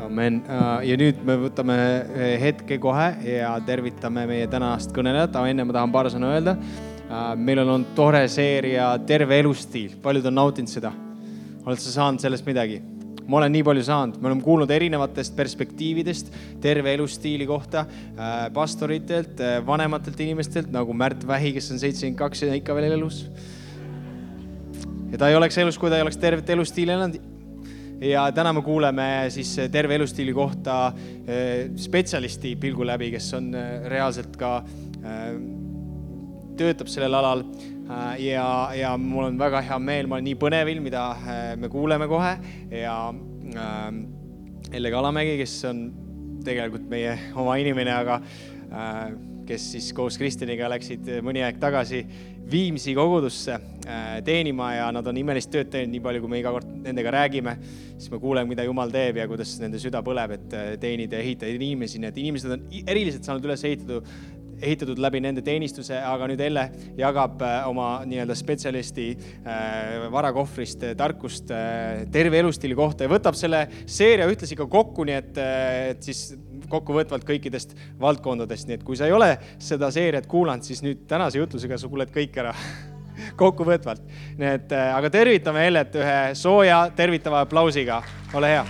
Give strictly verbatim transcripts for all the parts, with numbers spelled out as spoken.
Amen. Ja nüüd me võtame hetke kohe ja tervitame meie tänast kõnelejat. Aga enne ma tahan paar sõna öelda. Meil on olnud tore seeria Terve elustiil. Paljud on nautinud seda. Oled sa saanud sellest midagi? Ma olen nii palju saanud. Me oleme kuulnud erinevatest perspektiividest terve elustiili kohta pastoritelt, vanematelt inimestelt, nagu Märt Vähi, kes on seitsekümmend kaks ja ikka veel elus. Ja ta ei oleks elus, kui ta ei oleks tervet elustiili elanud. Ja täna me kuuleme siis terve elustiili kohta spetsialisti pilgu läbi, kes on reaalselt ka töötab sellel alal. Ja, ja mul on väga hea meel, ma olen nii põnevil, mida me kuuleme kohe. Ja Elle Kalamägi, kes on tegelikult meie oma inimene, aga kes siis koos Kristjaniga läksid mõni aeg tagasi Viimsi kogudusse teenima ja nad on imelist tööd teinud nii palju, kui me iga kord nendega räägime, siis me kuuleme, mida Jumal teeb ja kuidas nende süda põleb, et teenida ja ehitada inimesi. Need inimesed on eriliselt saanud üles ehitatud, ehitatud läbi nende teenistuse, aga nüüd Elle jagab oma nii-öelda spetsialisti varakohvrist tarkust terve elustiili kohta ja võtab selle seeria ühtlasi ka kokku, nii et, et siis kokkuvõtvalt kõikidest valdkondadest. Nii et kui sa ei ole seda seeriat kuulanud, siis nüüd tänase jutlusega sa kuuled kõik ära kokkuvõtvalt. Nii et, aga tervitame Ellet ühe sooja tervitava aplausiga. Ole hea.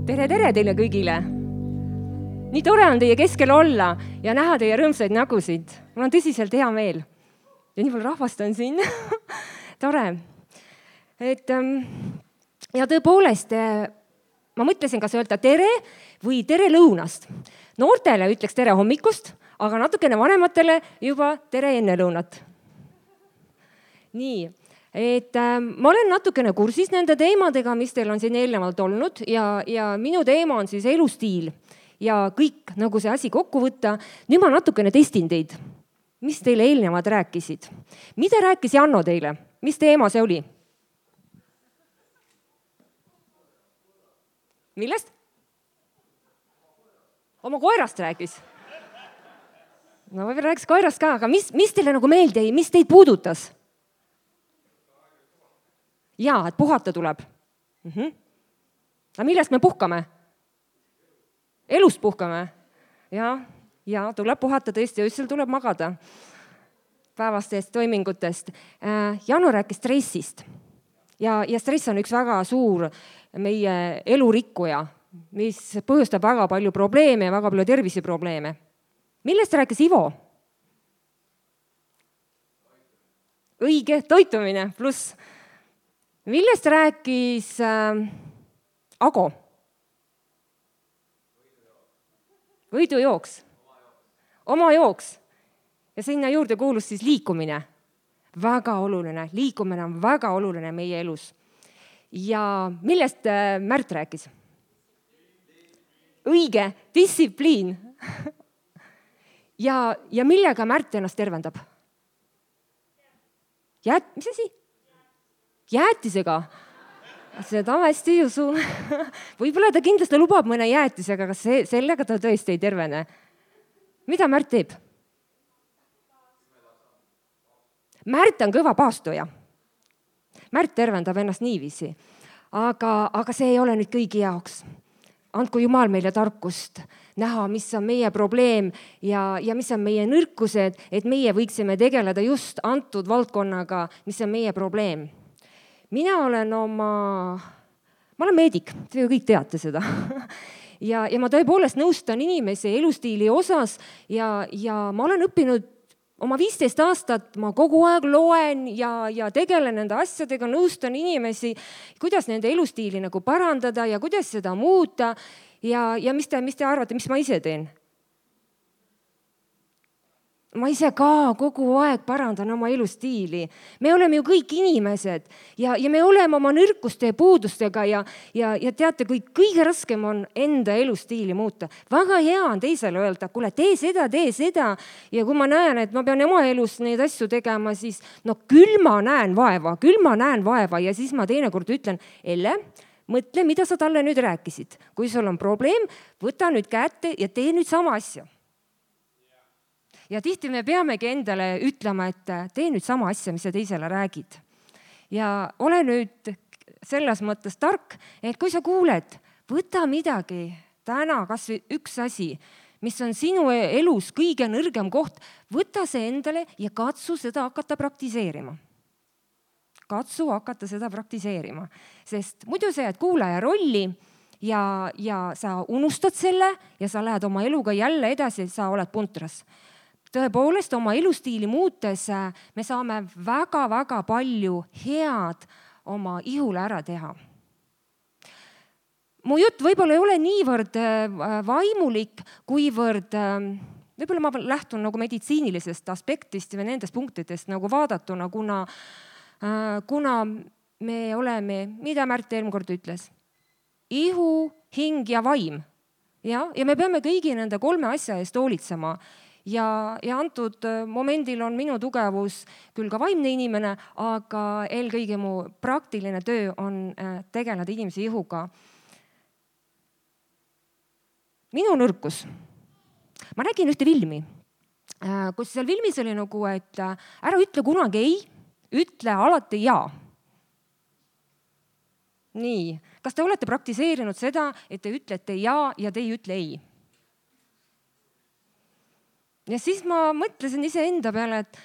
Tere, tere teile kõigile! Nii tore on teie keskel olla ja näha teie rõõmsaid nägusid. Mul on tõsiselt hea meel. Ja nii palju rahvast on siin. Tore. Et, ja tõepoolest, ma mõtlesin, kas öelda tere või tere lõunast. Noortele ütleks tere hommikust, aga natukene vanematele juba tere enne lõunat. Nii. Et äh, ma olen natukene kursis nende teemadega, mis teil on siin eelnevalt olnud ja, ja minu teema on siis elustiil ja kõik nagu see asi kokku võtta. Nüüd ma natukene testin teid. Mis teile eelnevad rääkisid? Mida rääkis Janno teile? Mis teema see oli? Millest? Oma koerast rääkis. No võib-olla rääkis koerast ka, aga mis, mis teile nagu meelde ei, mis teid puudutas? Jaa, et puhata tuleb. Mm-hmm. Aga millest me puhkame? Elust puhkame. Ja, ja tuleb puhata tõesti, öösel tuleb magada päevastest toimingutest. Janu rääkis stressist. Ja, ja stress on üks väga suur meie elurikkuja, mis põhjustab väga palju probleeme ja väga palju terviseprobleeme. Millest rääkis Ivo? Õige, toitumine pluss. Millest rääkis äh, Ago? Võidujooks. Oma jooks. Ja sinna juurde kuulus siis liikumine. Väga oluline. Liikumine on väga oluline meie elus. Ja millest äh, Märt rääkis? Õige, distsipliin. ja, ja millega Märt ennast tervendab? Jät, mis asi? Jäätisega. Seda ma hästi ei usu. Võib-olla ta kindlasti lubab mõne jäätisega, aga see, sellega ta tõesti ei tervene. Mida Märt teeb? Märt on kõva paastoja. Märt tervendab ennast niiviisi. Aga, aga see ei ole nüüd kõigi jaoks. Andku Jumal meile tarkust näha, mis on meie probleem ja, ja mis on meie nõrkused, et meie võiksime tegeleda just antud valdkonnaga, mis on meie probleem. Mina olen oma, ma olen meedik, te ju kõik teate seda. ja, ja ma tõepoolest nõustan inimesi elustiili osas ja, ja ma olen õppinud oma viisteist aastat, ma kogu aeg loen ja, ja tegelen nende asjadega, nõustan inimesi, kuidas nende elustiili nagu parandada ja kuidas seda muuta ja, ja mis te, mis te arvate, mis ma ise teen? Ma ise ka kogu aeg parandan oma elustiili. Me oleme ju kõik inimesed ja, ja me oleme oma nõrkuste ja puudustega ja, ja, ja teate, kui kõige raskem on enda elustiili muuta. Väga hea on teisele öelda, kuule, tee seda, tee seda. Ja kui ma näen, et ma pean oma elus neid asju tegema, siis no küll ma näen vaeva, küll ma näen vaeva ja siis ma teinekord ütlen, Elle, mõtle, mida sa talle nüüd rääkisid. Kui sul on probleem, võta nüüd kätte ja tee nüüd sama asja. ja tihti me peamegi endale ütlema, et tee nüüd sama asja, mis sa teisele räägid. Ja ole nüüd selles mõttes tark, et kui sa kuuled, võta midagi täna, kas või üks asi, mis on sinu elus kõige nõrgem koht, võta see endale ja katsu seda hakata praktiseerima. Katsu hakata seda praktiseerima, sest muidu sa jääd kuulaja rolli ja, ja sa unustad selle ja sa lähed oma eluga jälle edasi, sa oled puntras. Tõepoolest, oma elustiili muutes me saame väga-väga palju head oma ihule ära teha. Mu jutt võib-olla ei ole niivõrd vaimulik, kuivõrd võib-olla ma lähtun nagu meditsiinilisest aspektist või nendest punktidest nagu vaadatuna, kuna, kuna me oleme, mida Märt eelmine kord ütles, ihu, hing ja vaim. Ja, ja me peame kõigi nende kolme asja eest hoolitsema. Ja, ja antud momendil on minu tugevus küll ka vaimne inimene, aga eelkõige mu praktiline töö on tegeleda inimese ihuga. Minu nõrkus. Ma nägin ühte filmi, kus seal filmis oli nagu, et ära ütle kunagi ei, ütle alati jaa. Nii, kas te olete praktiseerinud seda, et te ütlete jaa ja te ei ütle ei? Ja siis ma mõtlesin ise enda peale, et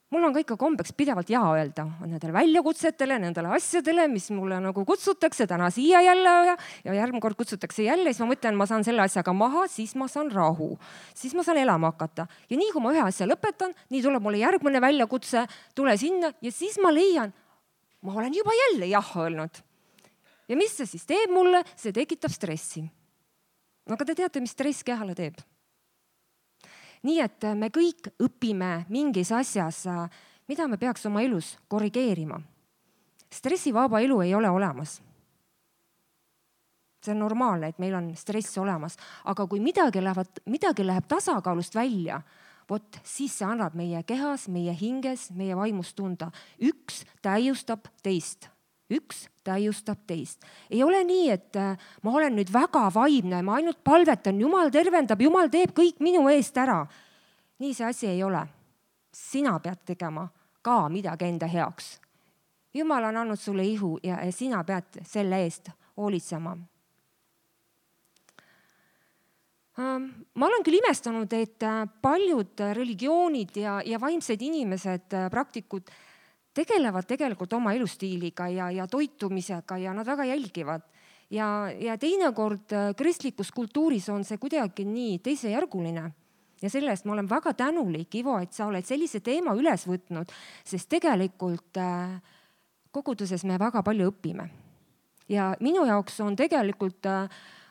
mul on ka ikka kombeks pidevalt jaa öelda nendele väljakutsetele, nendele asjadele, mis mulle nagu kutsutakse täna siia jälle ja, ja järgmine kord kutsutakse jälle. Siis ma mõtlen, ma saan selle asjaga maha, siis ma saan rahu, siis ma saan elama hakata. Ja nii kui ma ühe asja lõpetan, nii tuleb mulle järgmine väljakutse, tule sinna ja siis ma leian, ma olen juba jälle jah öelnud. Ja mis see siis teeb mulle? See tekitab stressi. Aga te teate, mis stress kehale teeb? Nii et me kõik õpime mingis asjas, mida me peaks oma elus korrigeerima. Stressivaba elu ei ole olemas. See on normaalne, et meil on stress olemas, aga kui midagi läheb, midagi läheb tasakaalust välja, vot siis see annab meie kehas, meie hinges, meie vaimust tunda. Üks täiustab teist. Üks täiustab teist. Ei ole nii, et ma olen nüüd väga vaimne, ma ainult palvetan, Jumal tervendab, Jumal teeb kõik minu eest ära. Nii see asi ei ole. Sina pead tegema ka midagi enda heaks. Jumal on andnud sulle ihu ja sina pead selle eest hoolitsema. Ma olen küll imestanud, et paljud religioonid ja, ja vaimsed inimesed, praktikud, tegelevad tegelikult oma elustiiliga ja, ja toitumisega ja nad väga jälgivad. Ja, ja teinekord kristlikus kultuuris on see kuidagi nii teisejärguline. Ja sellest ma olen väga tänulik, Ivo, et sa oled sellise teema üles võtnud, sest tegelikult koguduses me väga palju õpime. Ja minu jaoks on tegelikult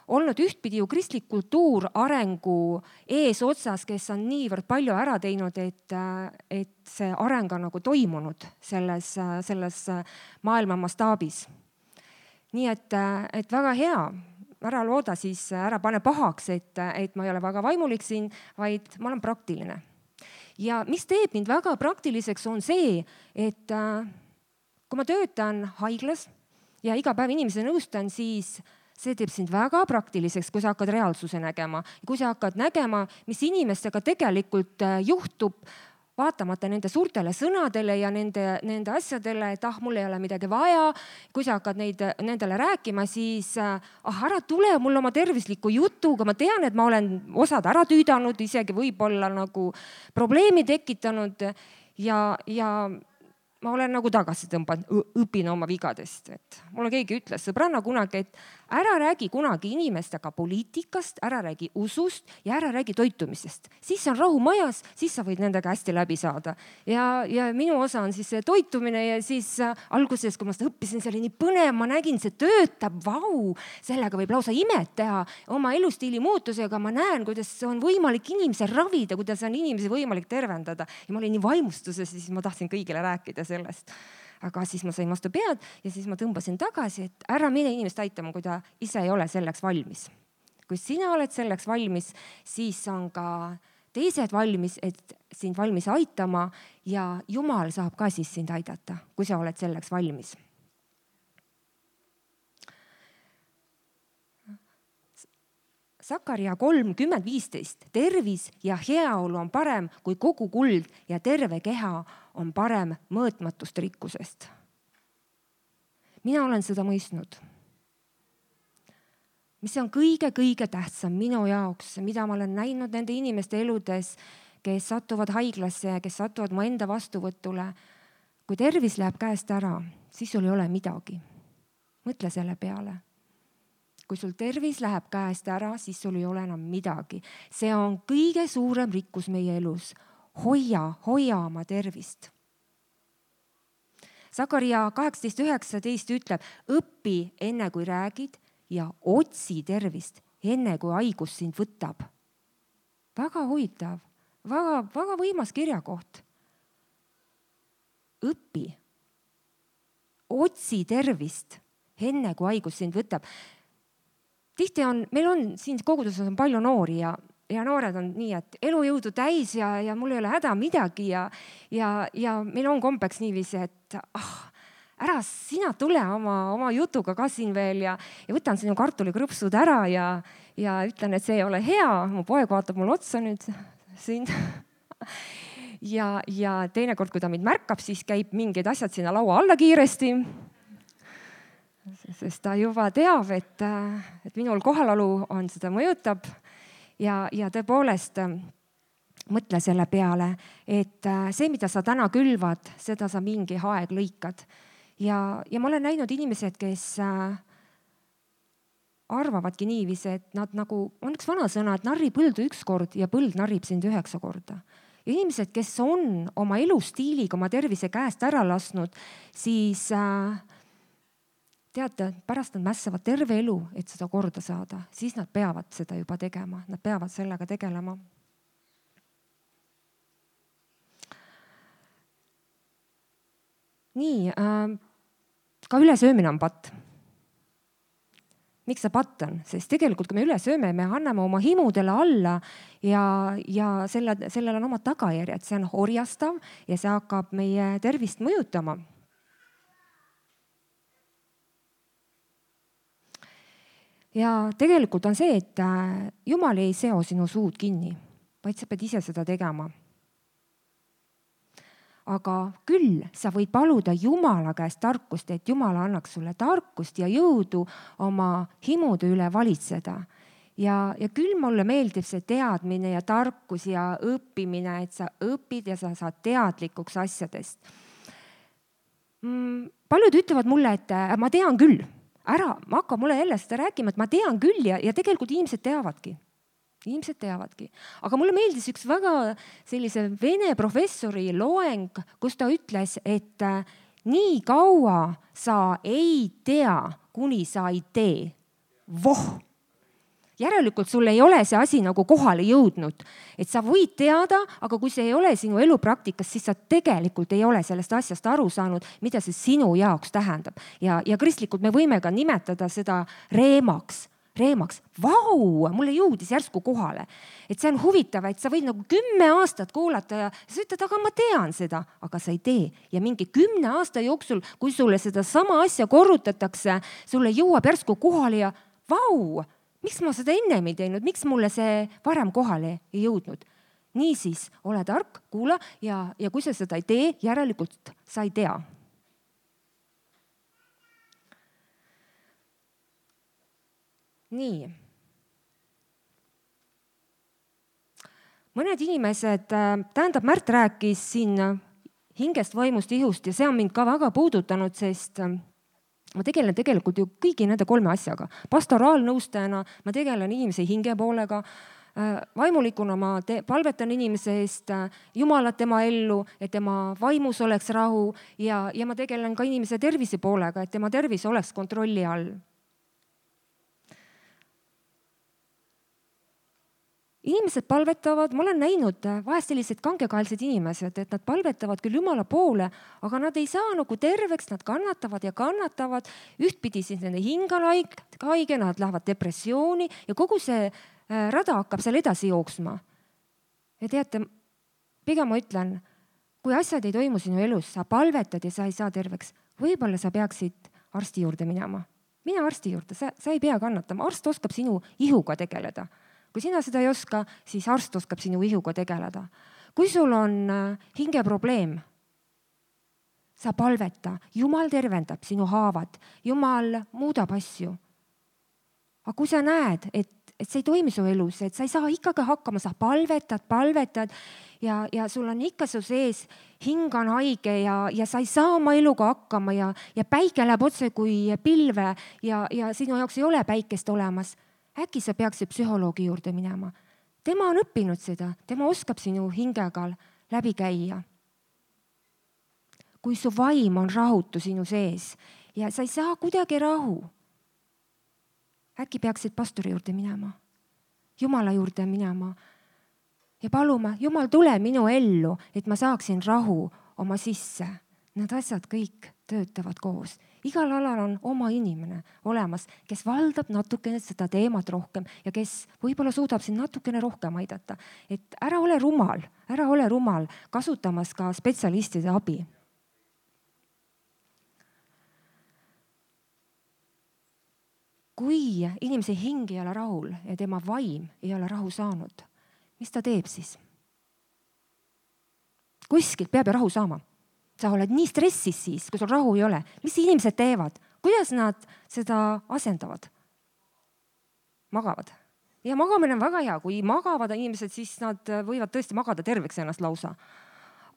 olnud ühtpidi ju kristlik kultuur arengu ees otsas, kes on niivõrd palju ära teinud, et, et see areng on nagu toimunud selles, selles maailma mastaabis. Nii et, et väga hea, ära looda siis, ära pane pahaks, et, et ma ei ole väga vaimulik siin, vaid ma olen praktiline. Ja mis teeb mind väga praktiliseks on see, et kui ma töötan haiglas ja iga päev inimese nõustan, siis see teeb sind väga praktiliseks, kui sa hakkad reaalsuse nägema. Kui sa hakkad nägema, mis inimestega tegelikult juhtub, vaatamata nende suurtele sõnadele ja nende, nende asjadele, et ah, mul ei ole midagi vaja. Kui sa hakkad neid, nendele rääkima, siis ah, ära tule mul oma tervisliku jutuga. Ma tean, et ma olen osad ära tüüdanud, isegi võib-olla nagu probleemi tekitanud ja, ja ma olen nagu tagasi tõmbanud, õpin oma vigadest. Et mulle keegi ütles sõbranna kunagi, et ära räägi kunagi inimestega poliitikast, ära räägi usust ja ära räägi toitumisest. Siis on rahu majas, siis sa võid nendega hästi läbi saada. Ja, ja minu osa on siis see toitumine ja siis alguses, kui ma seda õppisin, see oli nii põnev, ma nägin, see töötab, vau, sellega võib lausa imet teha oma elustiili muutusega. Ma näen, kuidas on võimalik inimese ravida, kuidas on inimesi võimalik tervendada. Ja ma olin nii vaimustuses, siis ma tahtsin kõigile rääkida sellest. Aga siis ma sain vastu pead ja siis ma tõmbasin tagasi, et ära mine inimest aitama, kui ta ise ei ole selleks valmis. Kui sina oled selleks valmis, siis on ka teised valmis, et sind valmis aitama ja Jumal saab ka siis sind aidata, kui sa oled selleks valmis. Sakaria kolmkümmend viisteist, tervis ja heaolu on parem kui kogu kuld ja terve keha on parem mõõtmatust rikkusest. Mina olen seda mõistnud. Mis on kõige-kõige tähtsam minu jaoks, mida ma olen näinud nende inimeste eludes, kes satuvad haiglasse ja kes satuvad mu enda vastuvõtule. Kui tervis läheb käest ära, siis sul ei ole midagi. Mõtle selle peale. Kui sul tervis läheb käest ära, siis sul ei ole enam midagi. See on kõige suurem rikkus meie elus. Hoia, hoia oma tervist. Sakaria kaheksateist üheksateist ütleb, õpi enne kui räägid ja otsi tervist enne kui haigus sind võtab. Väga huvitav, väga, väga võimas kirjakoht. Õpi, otsi tervist enne kui haigus sind võtab. Tihti on, meil on siin koguduses on palju noori ja, ja noored on nii, et elujõudu täis ja, ja mul ei ole häda midagi ja, ja, ja meil on kombeks niiviisi, et ah, ära sina tule oma, oma jutuga ka siin veel ja, ja võtan sinu kartulikrõpsud ära ja, ja ütlen, et see ei ole hea. Mu poeg vaatab mul otsa nüüd siin. ja, ja teinekord, kui ta mind märkab, siis käib mingid asjad sinna laua alla kiiresti. Sest ta juba teab, et, et minul kohalalu on seda mõjutab ja, ja tõepoolest mõtle selle peale, et see, mida sa täna külvad, seda sa mingi aeg lõikad. Ja, ja ma olen näinud inimesed, kes arvavadki niiviisi, et nad nagu, on üks vana sõna, et narri põldu üks kord ja põld narrib sind üheksa korda. Ja inimesed, kes on oma elustiiliga oma tervise käest ära lasnud, siis teate, pärast nad mässavad terve elu, et seda korda saada. Siis nad peavad seda juba tegema. Nad peavad sellega tegelema. Nii, äh, ka ülesöömine on patt. Miks see patt on? Sest tegelikult, kui me üle sööme, me anname oma himudele alla ja, ja selle, sellel on oma tagajärjed. See on orjastav ja see hakkab meie tervist mõjutama. Ja tegelikult on see, et Jumal ei seo sinu suud kinni, vaid sa pead ise seda tegema. Aga küll sa võid paluda Jumala käest tarkust, et Jumal annaks sulle tarkust ja jõudu oma himude üle valitseda. Ja, ja küll mulle meeldib see teadmine ja tarkus ja õppimine, et sa õpid ja sa saad teadlikuks asjadest. Mm, paljud ütlevad mulle, et ma tean küll. Ära, ma hakka mulle jälle seda rääkima, et ma tean küll ja, ja tegelikult inimesed teavadki. Inimesed teavadki. Aga mulle meeldis üks väga sellise vene professori loeng, kus ta ütles, et nii kaua sa ei tea, kuni sa ei tee. Voh! Järelikult sul ei ole see asi nagu kohale jõudnud. Et sa võid teada, aga kui see ei ole sinu elupraktikas, siis sa tegelikult ei ole sellest asjast aru saanud, mida see sinu jaoks tähendab. Ja, ja kristlikult me võime ka nimetada seda reemaks. Reemaks. Vau, mulle jõudis järsku kohale. Et see on huvitav, et sa võid nagu kümme aastat kuulata ja sa ütled, aga ma tean seda, aga sa ei tee. Ja mingi kümne aasta jooksul, kui sulle seda sama asja korrutatakse, sulle jõuab järsku kohale ja vau, miks ma seda ennem ei teinud, miks mulle see varem kohale ei jõudnud. Niisiis, ole tark, kuula ja, ja kui sa seda ei tee, järelikult sa ei tea. Nii. Mõned inimesed, tähendab Märt rääkis siin hingest, vaimust, ihust ja see on mind ka väga puudutanud, sest ma tegelen tegelikult ju kõigi nende kolme asjaga. Pastoraalnõustajana ma tegelen inimese hinge poolega, vaimulikuna ma te- palvetan inimese eest Jumalat tema ellu, et tema vaimus oleks rahu ja, ja ma tegelen ka inimese tervise poolega, et tema tervis oleks kontrolli all. Inimesed palvetavad, ma olen näinud vahest sellised kangekaelsed inimesed, et nad palvetavad küll Jumala poole, aga nad ei saa nagu terveks, nad kannatavad ja kannatavad. Ühtpidi siis nende hingal haige, nad lähevad depressiooni ja kogu see rada hakkab seal edasi jooksma. Ja teate, pigem ma ütlen, kui asjad ei toimu sinu elus, sa palvetad ja sa ei saa terveks, võib-olla sa peaksid arsti juurde minema. mine arsti juurde, sa, sa ei pea kannatama, arst oskab sinu ihuga tegeleda. Kui sina seda ei oska, siis arst oskab sinu ihuga tegeleda. Kui sul on hingeprobleem, sa palveta, Jumal tervendab sinu haavad, Jumal muudab asju. Aga kui sa näed, et, et see ei toimi su elus, et sa ei saa ikkagi hakkama, sa palvetad, palvetad ja, ja sul on ikka su sees, hing on haige ja, ja sa ei saa oma eluga hakkama ja, ja päike läheb otse kui pilve ja, ja sinu jaoks ei ole päikest olemas. Äkki sa peaksid psühholoogi juurde minema. Tema on õppinud seda, tema oskab sinu hingega läbi käia. Kui su vaim on rahutu sinu sees ja sa ei saa kuidagi rahu, äkki peaksid pastori juurde minema, Jumala juurde minema ja paluma, Jumal, tule minu ellu, et ma saaksin rahu oma sisse. Need asjad kõik töötavad koos. Igal alal on oma inimene olemas, kes valdab natukene seda teemat rohkem ja kes võib-olla suudab siin natukene rohkem aidata. Et ära ole rumal, ära ole rumal, kasutamas ka spetsialistide abi. Kui inimese hing ei ole rahul ja tema vaim ei ole rahu saanud, mis ta teeb siis? Kuskilt peab ju rahu saama. Sa oled nii stressis siis, kui sul rahu ei ole. Mis inimesed teevad? Kuidas nad seda asendavad? Magavad. Ja magamine on väga hea. Kui magavad inimesed, siis nad võivad tõesti magada terveks ennast lausa.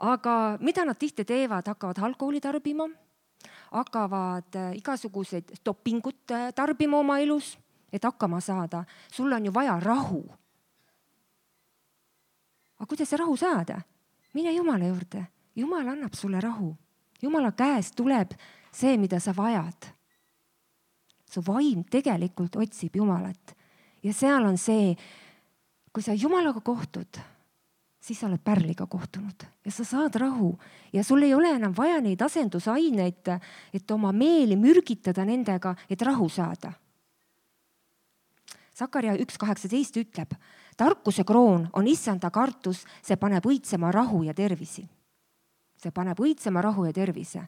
Aga mida nad tihti teevad? Hakkavad alkoholi tarbima, hakkavad igasugused dopingut tarbima oma elus, et hakkama saada. Sul on ju vaja rahu. Aga kuidas see rahu saada? Mine Jumala juurde. Jumal annab sulle rahu. Jumala käest tuleb see, mida sa vajad. Su vaim tegelikult otsib Jumalat. Ja seal on see, kui sa Jumalaga kohtud, siis sa oled pärliga kohtunud ja sa saad rahu. Ja sul ei ole enam vaja neid asendusaineid, et oma meeli mürgitada nendega, et rahu saada. Sakaria üks kaheksateist ütleb, tarkuse kroon on issanda kartus, see paneb õitsema rahu ja tervisi. See paneb õitsema rahu ja tervise.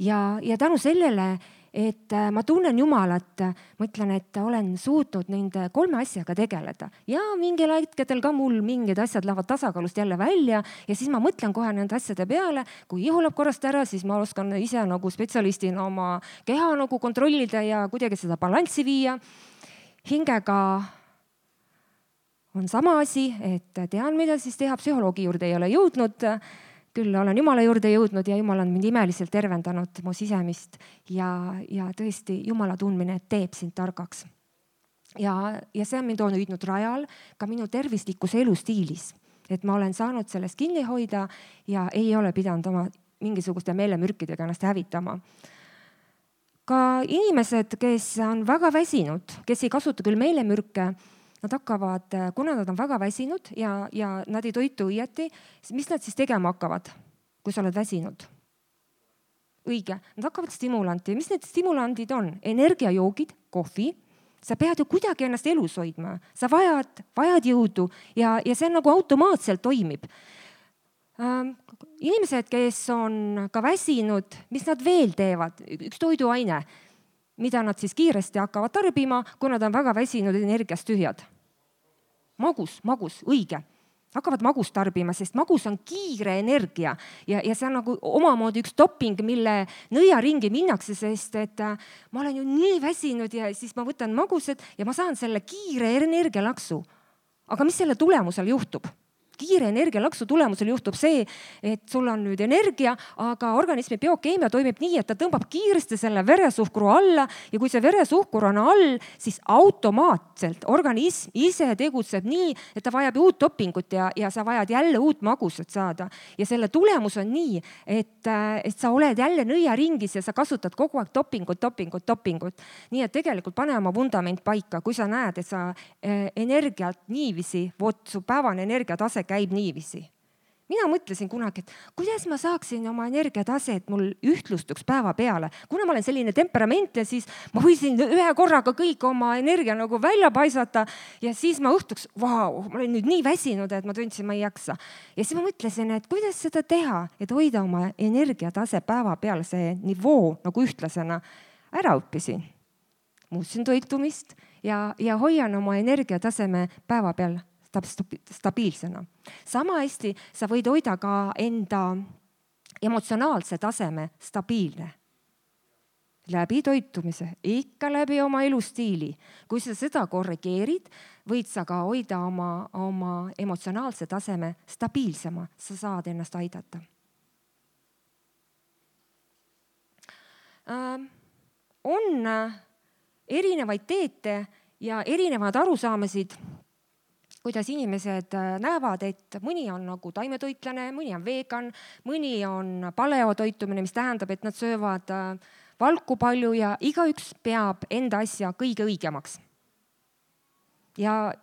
Ja, ja tänu sellele, et ma tunnen Jumalat, ma ütlen, et olen suutnud nende kolme asjaga tegeleda. Ja mingil hetkedel ka mul mingid asjad lähevad tasakaalust jälle välja ja siis ma mõtlen kohe nende asjade peale. Kui ihu läheb korrast ära, siis ma oskan ise nagu spetsialistina oma keha nagu kontrollida ja kuidagi seda balanssi viia. Hingega on sama asi, et tean, mida siis teha. Psühholoogi juurde ei ole jõudnud. Küll olen Jumala juurde jõudnud ja Jumal on mind imeliselt tervendanud mu sisemist ja, ja tõesti Jumala tundmine teeb sind targaks. Ja, ja see on mind on hüüdnud rajal ka minu tervislikus elustiilis, et ma olen saanud sellest kinni hoida ja ei ole pidanud oma mingisuguste meelemürkidega ennast hävitama. Ka inimesed, kes on väga väsinud, kes ei kasuta küll meelemürke, nad hakkavad, kuna nad on väga väsinud ja, ja nad ei toitu õieti, mis nad siis tegema hakkavad, kui sa oled väsinud? Õige, nad hakkavad stimulanti. Mis need stimulandid on? Energiajoogid, kohvi. Sa pead ju kuidagi ennast elus hoidma. Sa vajad, vajad jõudu ja, ja see nagu automaatselt toimib. Ähm, inimesed, kes on ka väsinud, mis nad veel teevad? Üks toiduaine, mida nad siis kiiresti hakkavad tarbima, kui nad on väga väsinud energiast tühjad. Magus, magus, õige. Hakkavad magust tarbima, sest magus on kiire energia ja, ja see on nagu omamoodi üks doping, mille nõiaringi minnakse, sest et ma olen ju nii väsinud ja siis ma võtan magused ja ma saan selle kiire energialaksu. Aga mis selle tulemusel juhtub? Kiire energialaksu tulemusel juhtub see, et sul on nüüd energia, aga organismi biokeemia toimib nii, et ta tõmbab kiiresti selle veresuhkru alla ja kui see veresuhkur on all, siis automaatselt organism ise tegutseb nii, et ta vajab uut dopingut ja, ja sa vajad jälle uut magusat saada. Ja selle tulemus on nii, et, et sa oled jälle nõiaringis ja sa kasutad kogu aeg dopingut, dopingut, dopingut. Nii et tegelikult pane oma vundament paika, kui sa näed, et sa energiat niivisi, vot su päevane energiatase käib niivisi. Mina mõtlesin kunagi, et kuidas ma saaksin oma energiatase, et mul ühtlustuks päeva peale. Kuna ma olen selline temperament ja siis ma võisin ühe korraga kõik oma energia nagu välja paisata ja siis ma õhtuks, vau, ma olen nüüd nii väsinud, et ma tundsin, ma ei jaksa. Ja siis ma mõtlesin, et kuidas seda teha, et hoida oma energiatase päeva peale, see nivoo nagu ühtlasena ära õppisin. muutsin toitumist ja, ja hoian oma energiataseme päeva peal stabiilsena. Sama hästi sa võid hoida ka enda emotsionaalse taseme stabiilne. Läbi toitumise, ikka läbi oma elustiili. Kui sa seda korrigeerid, võid sa ka hoida oma, oma emotsionaalse taseme stabiilsema. Sa saad ennast aidata. Äh, on erinevaid teete ja erinevad arusaamasid, kuidas inimesed näevad, et mõni on nagu taimetoitlane, mõni on vegan, mõni on paleotoitumine, mis tähendab, et nad söövad valku palju ja igaüks peab enda asja kõige õigemaks. Ja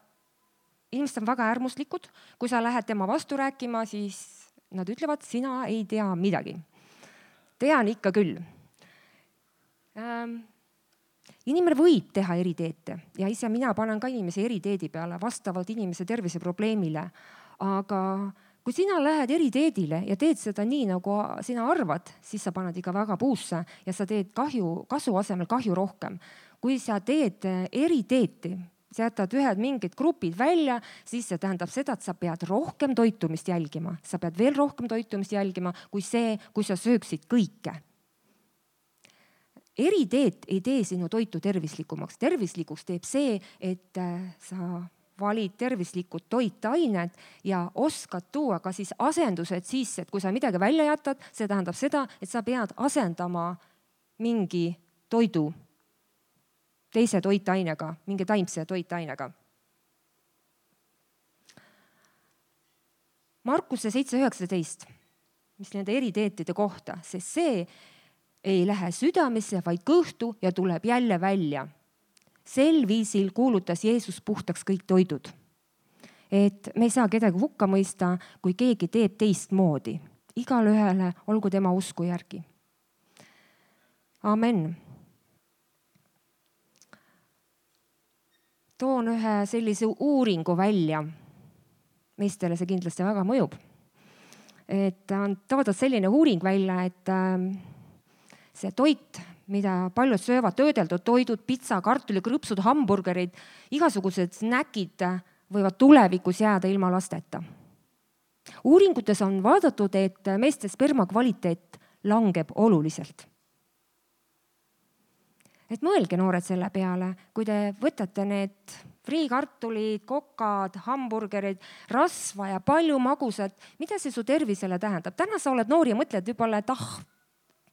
inimesed on väga äärmuslikud. Kui sa lähed tema vastu rääkima, siis nad ütlevad, sina ei tea midagi. Tean ikka küll. Ähm, Inimene võib teha eriteete ja ise mina panen ka inimese eriteedi peale vastavalt inimese terviseprobleemile. Aga kui sina lähed eriteedile ja teed seda nii, nagu sina arvad, siis sa paned ikka väga puusse ja sa teed kahju, kasu asemel kahju rohkem. Kui sa teed eriteeti, sa jätad ühed mingid grupid välja, siis see tähendab seda, et sa pead rohkem toitumist jälgima. Sa pead veel rohkem toitumist jälgima kui see, kui sa sööksid kõike. Eriteet ei tee sinu toitu tervislikumaks. Tervislikuks teeb see, et sa valid tervislikud toitained ja oskad tuua ka siis asendused sisse. Et kui sa midagi välja jätad, see tähendab seda, et sa pead asendama mingi toidu teise toitainega, mingi taimse toitainega. Markuse seitse üheksateist, mis nende eriteetide kohta, sest see ei lähe südamesse, vaid kõhtu ja tuleb jälle välja. Sel viisil kuulutas Jeesus puhtaks kõik toidud. Et me ei saa kedagi hukka mõista, kui keegi teeb teist moodi. Igal ühele olgu tema usku järgi. Amen. Toon ühe sellise uuringu välja. Meistele see kindlasti väga mõjub. Et on toodud selline uuring välja, et see toit, mida paljud söövad, töödeldud toidud, pitsa, kartuli, krõpsud, hamburgerid, igasugused snäkid võivad tulevikus jääda ilma lasteta. Uuringutes on vaadatud, et meeste sperma kvaliteet langeb oluliselt. Et mõelge noored selle peale, kui te võtate need friikartulid, kokad, hamburgerid, rasva ja palju magusat, mida see su tervisele tähendab? Täna sa oled noor ja mõtled võib-olla, et ah,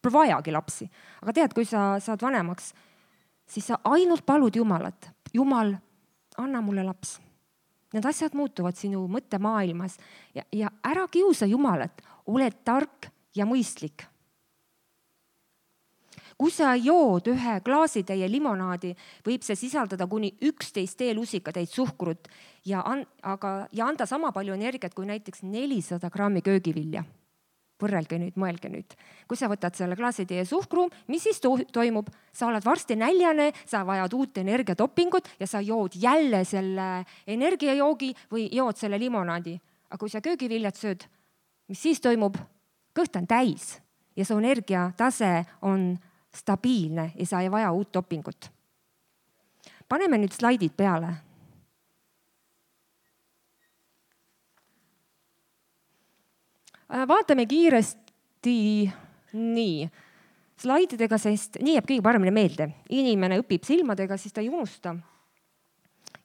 vajagi lapsi. Aga tead, kui sa saad vanemaks, siis sa ainult palud Jumalat. Jumal, anna mulle laps. Need asjad muutuvad sinu mõttemaailmas ja, ja ära kiusa Jumalat. Ole tark ja mõistlik. Kui sa jood ühe klaasitäie limonaadi, võib see sisaldada kuni üksteist teelusikatäit suhkrut ja, an, aga, ja anda sama palju energiat kui näiteks nelisada grammi köögivilja. Võrrelge nüüd, mõelge nüüd. Kui sa võtad selle klaasitäie suhkru, mis siis to- toimub? Sa oled varsti näljane, sa vajad uut energiatopingut ja sa jood jälle selle energiajoogi või jood selle limonaadi. Aga kui sa köögiviljad sööd, mis siis toimub? Kõht on täis ja su energiatase on stabiilne ja sa ei vaja uut topingut. Paneme nüüd slaidid peale. Vaatame kiiresti nii slaididega, sest nii jääb kõige paremini meelde. Inimene õpib silmadega, siis ta ei unusta.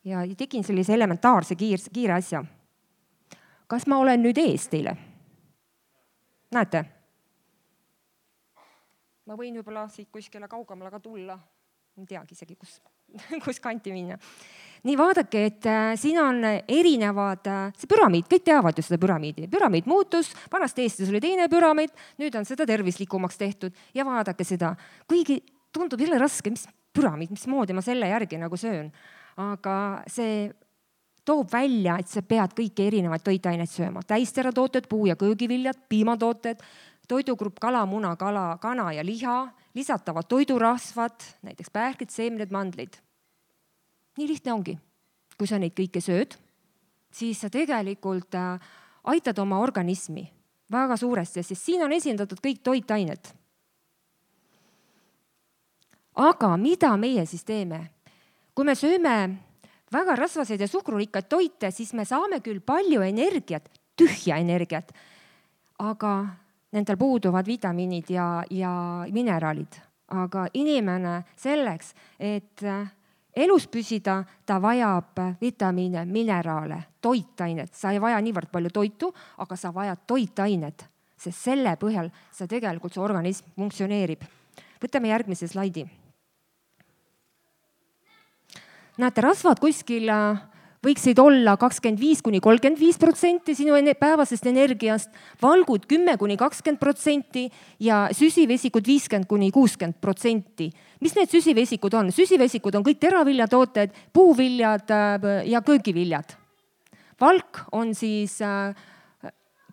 Ja tegin sellise elementaarse kiir, kiire asja. Kas ma olen nüüd ees teile? Näete? Ma võin võib-olla siit kuskile kaugemale ka tulla. Ei teagi isegi, kus, kus kanti minna. Nii vaadake, et siin on erinevad, see püramiid, kõik teavad ju seda püramiidi. Püramiid muutus, vanast Eestis oli teine püramiid, nüüd on seda tervislikumaks tehtud ja vaadake seda. Kuigi tundub jälle raske, mis püramiid, mis moodi ma selle järgi nagu söön. Aga see toob välja, et sa pead kõiki erinevaid toitaineid sööma. Täisteratooted, puu- ja köögiviljad, piimatooted, toidugrupp kala, muna, kala, kana ja liha, lisatavad toidurasvad, näiteks pähklid, seemned, mandlid. Nii lihtne ongi. Kui sa neid kõike sööd, siis sa tegelikult aitad oma organismi väga suuresti, sest siin on esindatud kõik toitained. aga mida meie siis teeme? Kui me sööme väga rasvaseid ja suhkrurikkaid toite, siis me saame küll palju energiat, tühja energiat, aga nendel puuduvad vitamiinid ja, ja mineraalid. Aga inimene selleks, et elus püsida, ta vajab vitamiine, mineraale, toitainet. Sa ei vaja niivõrd palju toitu, aga sa vajad toitainet, sest selle põhjal sa tegelikult, see organism funktsioneerib. Võtame järgmise slaidi. Näete, rasvad kuskil võiksid olla kakskümmend viis kuni kolmkümmend viis protsenti sinu päevasest energiast, valgud kümme kuni kakskümmend protsenti ja süsivesikud viiskümmend kuni kuuskümmend protsenti. Mis need süsivesikud on? Süsivesikud on kõik teraviljatooted, puuviljad ja köögiviljad. Valk on siis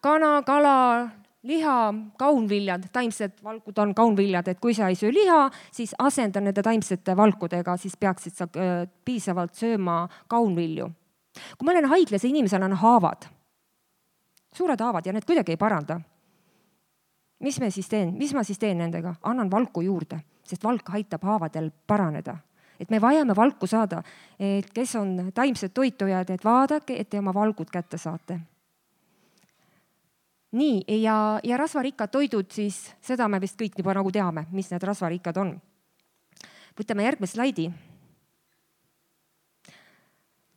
kana, kala, liha, kaunviljad, taimsed valkud on kaunviljad, et kui sa ei söö liha, siis asenda nende taimsete valkudega, siis peaksid sa piisavalt sööma kaunvilju. Kui ma olen haiglas ja inimesel on haavad, suured haavad ja need kuidagi ei paranda, mis me siis teen? Mis ma siis teen nendega? Annan valku juurde, sest valk aitab haavadel paraneda. Et me vajame valku saada, et kes on taimsed toitujad, et vaadake, et te oma valgud kätte saate. Nii, ja, ja rasvarikkad toidud, siis seda me vist kõik juba nagu teame, mis need rasvarikkad on. Võtame järgmine slaidi.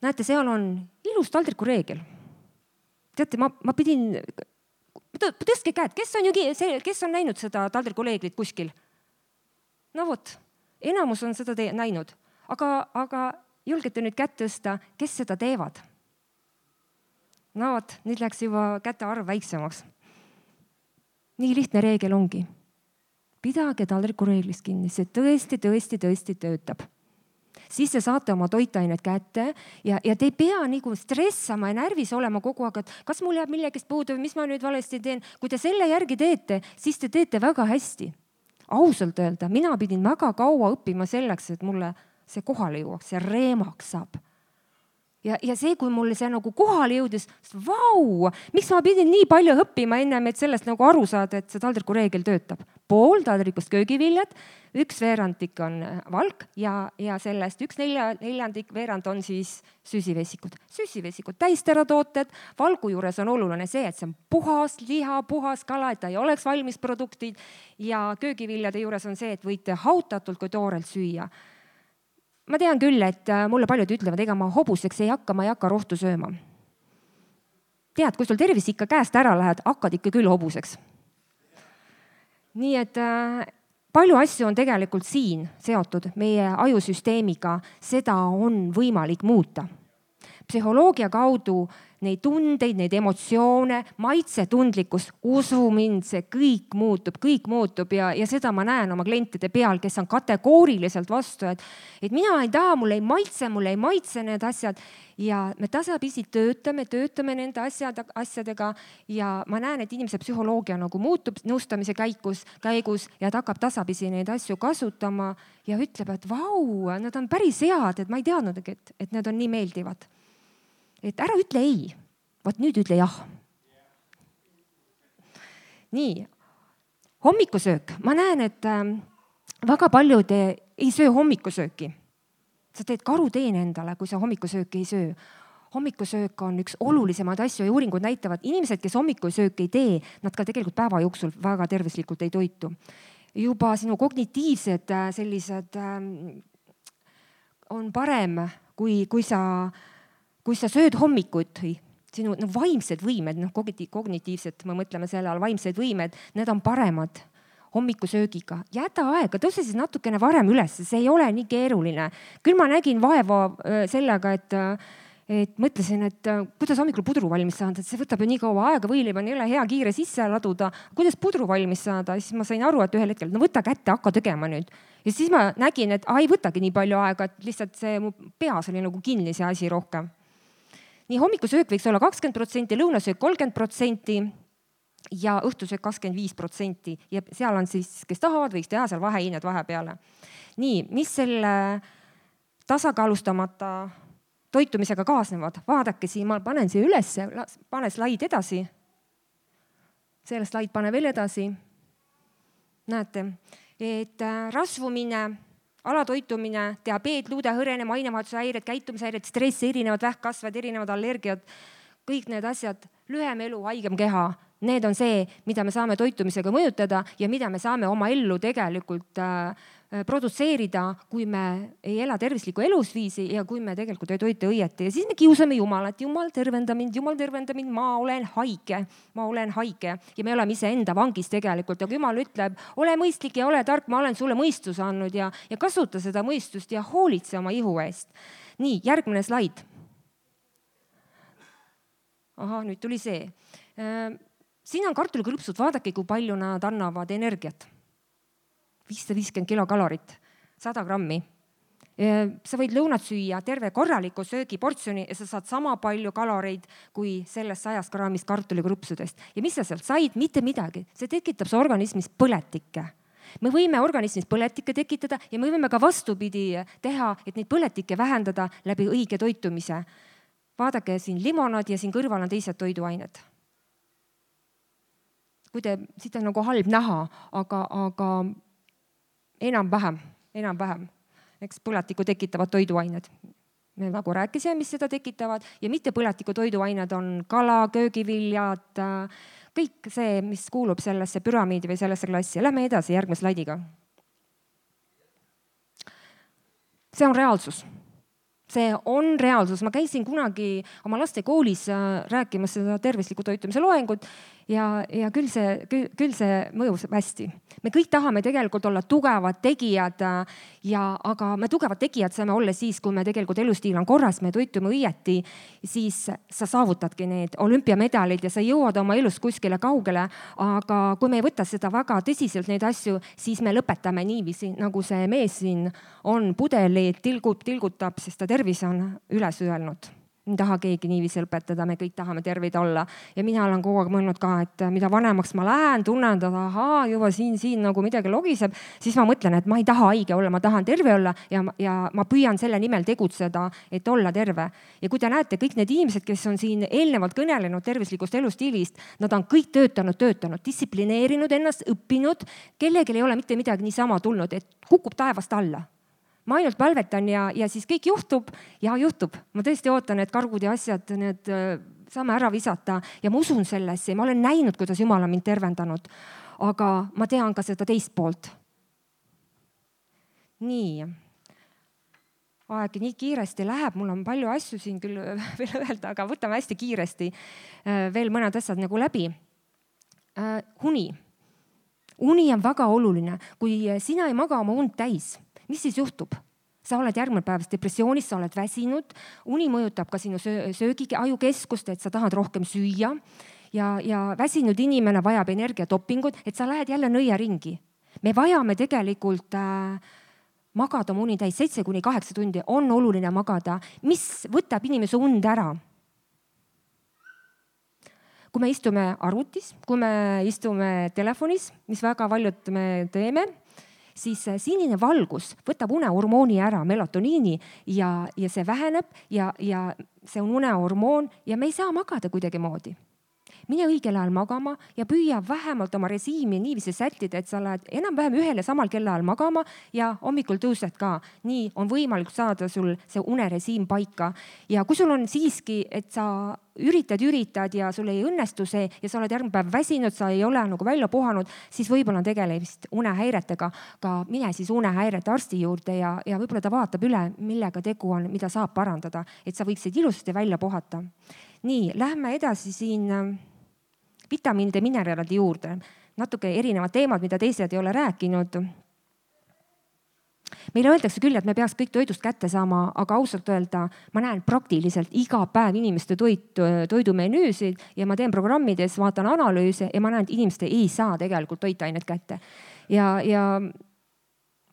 Näete, seal on ilus taldriku reegel. Teate, ma, ma pidin, tõstke käed, kes on, ju, kes on näinud seda taldriku reeglit kuskil? No vot, enamus on seda te- näinud, aga, aga julgete nüüd kätt tõsta, kes seda teevad? No vot, nüüd läks juba käte arv väiksemaks. Nii lihtne reegel ongi. Pidage taldriku reeglist kinni, see tõesti, tõesti, tõesti töötab. Siis te saate oma toitainet kätte ja, ja te ei pea nagu stressama ja närvis olema kogu aeg, et kas mul jääb millegist puudu, mis ma nüüd valesti teen. Kui te selle järgi teete, siis te teete väga hästi. Ausalt öelda, mina pidin väga kaua õppima selleks, et mulle see kohale jõuaks, see reemaks saab. Ja, ja see, kui mulle see nagu kohale jõudis, vau, miks ma pidin nii palju õppima ennem, et sellest nagu aru saada, et see taldriku reegel töötab. Pool taldrikust köögiviljad, üks veerandik on valk ja, ja sellest üks nelja, neljandik veerand on siis süsivesikud. Süsivesikud, täisteratooted, valgu juures on oluline see, et see on puhas liha, puhas kala, et ta ei oleks valmis produktid ja köögiviljade juures on see, et võite hautatult kui toorelt süüa. Ma tean küll, et mulle paljud ütlevad, ega ma hobuseks ei hakka, ma ei hakka rohtu sööma. Tead, kui sul tervis ikka käest ära lähed, hakkad ikka küll hobuseks. Nii et äh, palju asju on tegelikult siin seotud meie ajusüsteemiga, seda on võimalik muuta. Psühholoogia kaudu neid tundeid, neid emotsioone, maitsetundlikkus, usu mind, see kõik muutub, kõik muutub ja, ja seda ma näen oma klientide peal, kes on kategooriliselt vastu, et, et mina ei taha, mulle ei maitse, mulle ei maitse need asjad ja me tasapisi töötame, töötame nende asjad, asjadega ja ma näen, et inimese psühholoogia nagu muutub nõustamise käigus, käigus ja ta hakkab tasapisi neid asju kasutama ja ütleb, et vau, nad on päris head, et ma ei teadnudki, et, et need on nii meeldivad. Et ära ütle ei, vaat nüüd ütle jah. Nii, hommikusöök. Ma näen, et väga paljud ei söö hommikusööki. Sa teed karuteene endale, kui sa hommikusööki ei söö. Hommikusöök on üks olulisemaid asju ja uuringud näitavad, inimesed, kes hommikusööki ei tee, nad ka tegelikult päeva jooksul väga tervislikult ei toitu. Juba sinu kognitiivsed sellised on parem, kui, kui sa Kui sa sööd hommikuid, sinu no, vaimsed võimed, no, kognitiivsed, me mõtleme selle all, vaimsed võimed, need on paremad hommikusöögiga. Jäta aega, tõuse siis natukene varem üles, see ei ole nii keeruline. Küll ma nägin vaeva sellega, et, et mõtlesin, et kuidas hommikul pudru valmis saada, et see võtab ju nii kaua aega, võiliba ei ole hea kiire sisse laduda. Kuidas pudru valmis saada? Siis ma sain aru, et ühel hetkel, no võta kätte, hakka tegema nüüd. Ja siis ma nägin, et ai, võtagi nii palju aega, et lihtsalt see mu peas oli nagu kinni see asi rohkem. Nii hommikusöök võiks olla kakskümmend protsenti, lõunasöök kolmkümmend protsenti ja õhtusöök kakskümmend viis protsenti. Ja seal on siis, kes tahavad, võiks teha seal vahehiined vahepeale. Nii, mis selle tasakaalustamata toitumisega kaasnevad? Vaadake siin, ma panen siia üles, pane slaid edasi. Selle slaid pane veel edasi. Näete, et rasvumine, alatoitumine, diabeet, luudehõrene, mainevahetushäired, käitumishäired, stress, erinevad vähkkasved, erinevad allergiad, kõik need asjad, lühem elu, haigem keha. Need on see, mida me saame toitumisega mõjutada ja mida me saame oma ellu tegelikult äh, produtseerida, kui me ei ela tervislikku elusviisi ja kui me tegelikult ei toitu õieti. Ja siis me kiusame Jumalat. Jumal tervenda mind, Jumal tervenda mind, ma olen haige, ma olen haige. Ja me oleme ise enda vangis tegelikult. Ja kui Jumal ütleb, ole mõistlik ja ole tark, ma olen sulle mõistus andnud ja, ja kasuta seda mõistust ja hoolitse oma ihu eest. Nii, järgmine slaid. Aha, nüüd tuli see. Siin on kartulikrõpsud, vaadake, kui palju nad annavad energiat. viissada viiskümmend kilokalorit, sada grammi. Sa võid lõunat süüa terve korraliku söögiportsjoni ja sa saad sama palju kaloreid kui sellest sajast grammist kartulikrõpsudest. Ja mis sa sealt said? Mitte midagi. See tekitab su organismis põletikke. Me võime organismis põletikke tekitada ja me võime ka vastupidi teha, et neid põletikke vähendada läbi õige toitumise. Vaadake siin limonad ja siin kõrval on teised toiduained. Kui te, siit on nagu halb näha, aga, aga enam-vähem, enam-vähem, eks põletiku tekitavad toiduained. Me nagu rääkisime, mis seda tekitavad ja mitte põletiku toiduained on kala, köögiviljad, kõik see, mis kuulub sellesse püramiidi või sellesse klassi. Lähme edasi järgmise slaidiga. See on reaalsus. See on reaalsus. Ma käisin kunagi oma laste koolis rääkimas seda tervisliku toitumise loengut ja, ja küll, see, küll, küll see mõjus hästi. Me kõik tahame tegelikult olla tugevad tegijad, ja, aga me tugevad tegijad saame olla siis, kui me tegelikult elustiil on korras, me toitume õieti, siis sa saavutadki need olümpiamedalid ja sa jõuad oma elus kuskile kaugele, aga kui me ei võta seda väga tõsiselt neid asju, siis me lõpetame niiviisi, nagu see mees siin on pudeli, tilgub, tilgutab, sest ta tervis on üles öelnud. Ei taha keegi niiviisi lõpetada, me kõik tahame tervid olla. Ja mina olen kogu aeg mõelnud ka, et mida vanemaks ma lähen, tunnen, et ahaa, juba siin, siin nagu midagi logiseb, siis ma mõtlen, et ma ei taha haige olla, ma tahan terve olla ja, ja ma püüan selle nimel tegutseda, et olla terve. Ja kui te näete, kõik need inimesed, kes on siin eelnevalt kõnelenud tervislikust elustiilist, nad on kõik töötanud, töötanud, distsiplineerinud ennast, õppinud, kellelgi ei ole mitte midagi niisama tulnud, et kukub taevast alla. Ma ainult palvetan ja, ja siis kõik juhtub ja juhtub. Ma tõesti ootan, et kargud ja asjad need saame ära visata ja ma usun sellesse. Ma olen näinud, kuidas Jumal on mind tervendanud, aga ma tean ka seda teist poolt. Nii. Aeg nii kiiresti läheb, mul on palju asju siin küll veel öelda, aga võtame hästi kiiresti veel mõned asjad nagu läbi. Uni. Uni on väga oluline. Kui sina ei maga oma und täis, mis siis juhtub? Sa oled järgmine päevas depressioonis, sa oled väsinud, uni mõjutab ka sinu söögi ajukeskust, et sa tahad rohkem süüa ja, ja väsinud inimene vajab energiatopingut, et sa lähed jälle nõia ringi. Me vajame tegelikult äh, magada oma uni täis, seitse kuni kaheksa tundi on oluline magada, mis võtab inimese und ära. Kui me istume arvutis, kui me istume telefonis, mis väga paljud me teeme, siis sinine valgus võtab unehormooni ära, melatoniini ja, ja see väheneb ja, ja see on unehormoon ja me ei saa magada kuidagi moodi. Mine õigel ajal magama ja püüa vähemalt oma režiimi niiviisi sättida, et sa lähed enam-vähem ühel ja samal kellaajal magama ja hommikul tõused ka. Nii on võimalik saada sul see unerežiim paika. Ja kui sul on siiski, et sa üritad, üritad ja sul ei õnnestu see ja sa oled järgmine päev väsinud, sa ei ole nagu välja puhanud, siis võib-olla on tegelemist unehäiretega. Ka mine siis unehäirete arsti juurde ja, ja võib-olla ta vaatab üle, millega tegu on, mida saab parandada, et sa võiksid ilusasti välja puhata. Nii, lähme edasi siin vitamiinide mineraalide juurde. Natuke erinevad teemad, mida teised ei ole rääkinud. Meile öeldakse küll, et me peaks kõik toidust kätte saama, aga ausalt öelda, ma näen praktiliselt iga päev inimeste toit, toidumenüüsid ja ma teen programmides, vaatan analüüse ja ma näen, et inimesed ei saa tegelikult toitained kätte. Ja, ja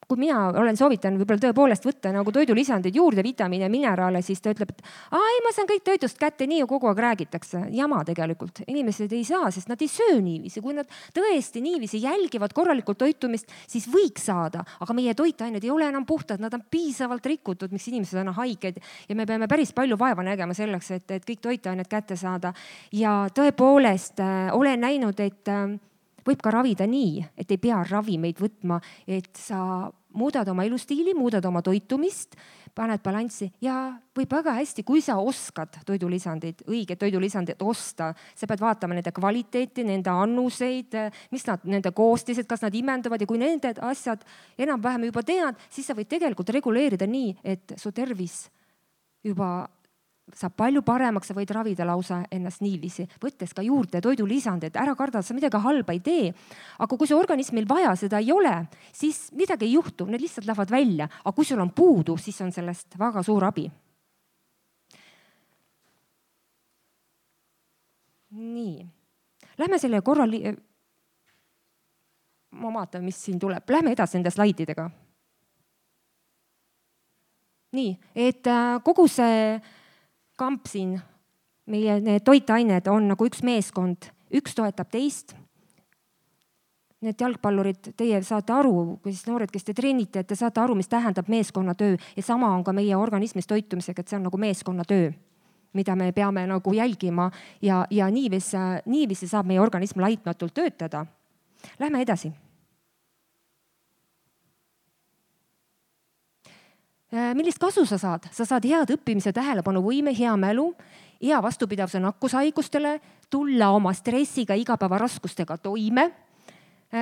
kui mina olen soovitan võib-olla tõepoolest võtta nagu toidulisandid juurde, vitamiine ja mineraale, siis ta ütleb, et ai, ma saan kõik toidust kätte, nii ju kogu aeg räägitakse. Jama tegelikult. Inimesed ei saa, sest nad ei söö niiviisi. Kui nad tõesti niiviisi jälgivad korralikult toitumist, siis võiks saada. Aga meie toitained ei ole enam puhtad, nad on piisavalt rikutud, miks inimesed on haiged. Ja me peame päris palju vaeva nägema selleks, et, et kõik toitained kätte saada. Ja tõepoolest äh, olen näinud, et äh, võib ka ravida nii, et ei pea ravimeid võtma, et sa muudad oma elustiili, muudad oma toitumist, paned balanssi ja võib väga hästi, kui sa oskad toidulisandid, õiged toidulisandid osta, sa pead vaatama nende kvaliteeti, nende annuseid, mis nad, nende koostised, kas nad imenduvad ja kui nende asjad enam-vähem juba tead, siis sa võid tegelikult reguleerida nii, et su tervis juba saab palju paremaks, sa võid ravida lausa ennast niiviisi, võttes ka juurde toidulisandid, ära karda, sa midagi halba ei tee. Aga kui su organismil vaja seda ei ole, siis midagi ei juhtu, need lihtsalt lähevad välja. Aga kui sul on puudu, siis on sellest väga suur abi. Nii, lähme selle korra, li... ma vaatan, mis siin tuleb, lähme edasi nende slaididega. Nii, et kogu see kamp siin, meie need toitained on nagu üks meeskond, üks toetab teist. Need jalgpallurid, teie saate aru, kui siis noored, kes te treenite, et te saate aru, mis tähendab meeskonnatöö ja sama on ka meie organismis toitumisega, et see on nagu meeskonnatöö, mida me peame nagu jälgima ja, ja niiviisi, niiviisi saab meie organism laitmatult töötada. Lähme edasi. Millist kasu sa saad? Sa saad head õppimise tähelepanu võime, hea mälu, hea vastupidavuse nakkushaigustele, tulla oma stressiga, igapäeva raskustega toime,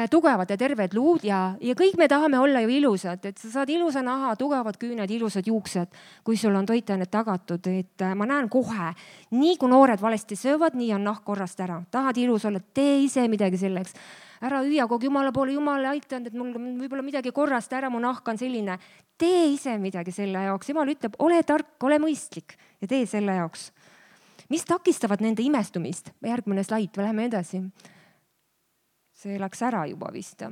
tugevad ja terved luud ja, ja kõik me tahame olla ju ilusad, et sa saad ilusa naha, tugevad küüned, ilusad juuksed, kui sul on toitained tagatud, et ma näen kohe, nii kui noored valesti söövad, nii on nahk korrast ära. Tahad ilus olla, tee ise midagi selleks. Ära hüüa kogu jumala poole, jumala aitanud, et mul võib-olla midagi korrast ära, mu nahk on selline. Tee ise midagi selle jaoks. Jumal ütleb, ole tark, ole mõistlik ja tee selle jaoks. Mis takistavad nende imestumist? Järgmine slaid, läheme edasi. See läks ära juba vist.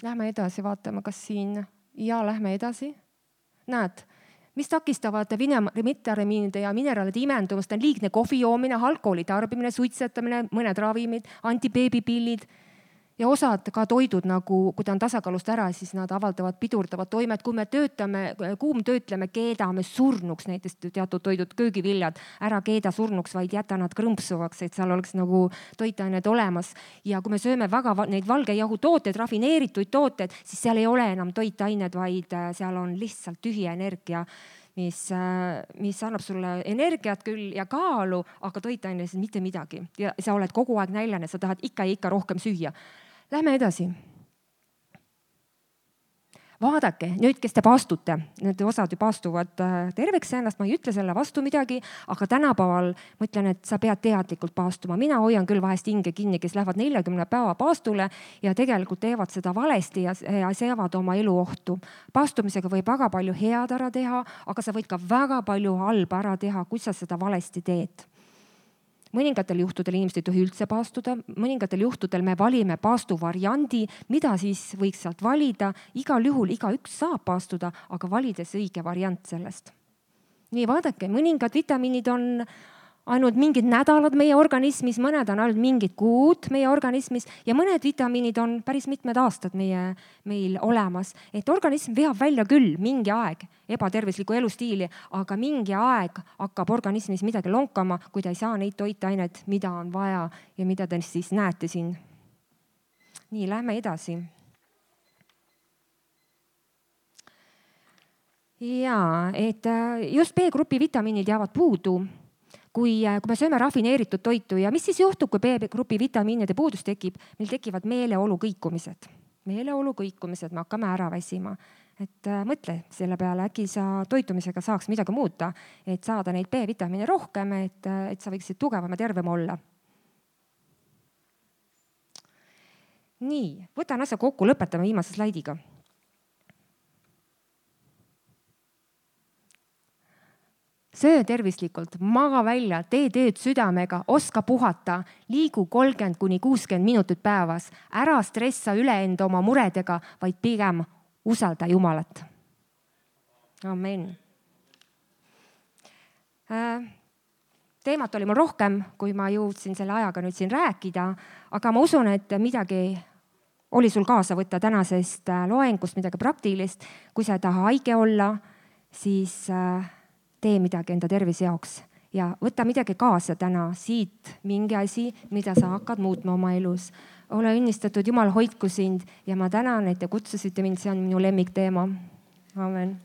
Lähme edasi, vaatame, kas siin ja lähme edasi. Näed, mis takistavad vitamiinide ja mineraalide imendumist on liigne kohvi joomine, alkoholi tarbimine, suitsetamine, mõned ravimid, antibeebipillid ja osad ka toidud, nagu kui ta on tasakaalust ära, siis nad avaldavad pidurdavad toimed. Kui me töötame, kuumtöötleme, keedame surnuks, näiteks teatud toidud, köögiviljad, ära keeda surnuks, vaid jäta nad krõmpsuvaks, et seal oleks nagu toitained olemas. Ja kui me sööme väga neid valgejahu tooteid, rafineeritud tooted, siis seal ei ole enam toitained, vaid seal on lihtsalt tühi energia, mis, mis annab sulle energiat küll ja kaalu, aga toitainesid mitte midagi. Ja sa oled kogu aeg näljane, sa tahad ikka ja ikka rohkem süüa. Lähme edasi. Vaadake, nüüd, kes te paastute, need osad ju paastuvad terveks ennast, ma ei ütle selle vastu midagi, aga tänapäeval ma ütlen, et sa pead teadlikult paastuma. Mina hoian küll vahest hinge kinni, kes lähevad neljakümne päeva paastule ja tegelikult teevad seda valesti ja, ja seavad oma elu ohtu. Paastumisega võib väga palju head ära teha, aga sa võid ka väga palju halba ära teha, kui sa seda valesti teed. Mõningatel juhtudel inimesed ei tohi üldse paastuda, mõningatel juhtudel me valime paastu variandi, mida siis võiks sealt valida. Igal juhul iga üks saab paastuda, aga valides õige variant sellest. Nii, vaadake, mõningad vitamiinid on ainult mingid nädalad meie organismis, mõned on ainult mingid kuud meie organismis ja mõned vitamiinid on päris mitmed aastad meie, meil olemas. Et organism veab välja küll mingi aeg ebatervislikku elustiili, aga mingi aeg hakkab organismis midagi lonkama, kui ta ei saa neid toitained, mida on vaja ja mida te siis näete siin. Nii, lähme edasi. Jaa, et just B-grupi vitamiinid jäävad puudu. Kui, kui me sööme rafineeritud toitu ja mis siis juhtub, kui B-grupi vitamiinide puudus tekib, meil tekivad meeleolu kõikumised. Meeleolu kõikumised, me hakkame ära väsima. Et mõtle selle peale, äkki sa toitumisega saaks midagi muuta, et saada neid B-vitamiine rohkem, et, et sa võiksid tugevam ja tervem olla. Nii, võtan asja kokku, lõpetame viimase slaidiga. Söö tervislikult, maga välja, tee tööd südamega, oska puhata, liigu kolmkümmend kuni kuuskümmend minutit päevas, ära stressa üle enda oma muredega, vaid pigem usalda Jumalat. Amen. Teemat oli mul rohkem, kui ma jõudsin selle ajaga nüüd siin rääkida, aga ma usun, et midagi oli sul kaasa võtta tänasest loengust, midagi praktilist. Kui sa ei taha haige olla, siis tee midagi enda tervise jaoks ja võta midagi kaasa täna siit, mingi asi, mida sa hakkad muutma oma elus. ole õnnistatud, Jumal hoidku sind ja ma tänan, et te kutsusite mind, see on minu lemmikteema. Amen.